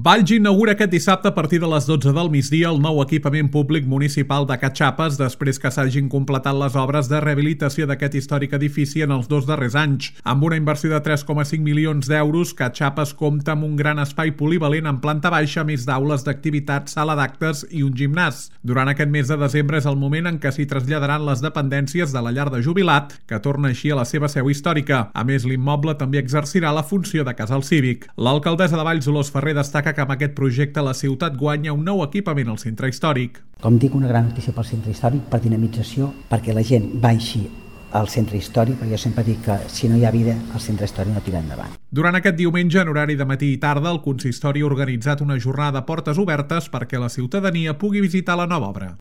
Valls inaugura aquest dissabte a partir de les 12 del migdia el nou equipament públic municipal de Catxapes després que s'hagin completat les obres de rehabilitació d'aquest històric edifici en els 2 darrers anys. Amb una inversió de 3,5 milions d'euros, Catxapes compta amb un gran espai polivalent en planta baixa, més d'aules d'activitats, sala d'actes i un gimnàs. Durant aquest mes de desembre és el moment en què s'hi traslladaran les dependències de la llar de jubilat, que torna així a la seva seu històrica. A més, l'immoble també exercirà la funció de casal cívic. L'alcaldessa de Valls, Dolors Ferrer, destaca que amb aquest projecte la ciutat guanya un nou equipament al centre històric. Com dic, una gran notícia pel centre històric, per dinamització, perquè la gent baixi al centre històric, perquè jo sempre dic que si no hi ha vida, el centre històric no tira endavant. Durant aquest diumenge, en horari de matí i tarda, el consistori ha organitzat una jornada de portes obertes perquè la ciutadania pugui visitar la nova obra.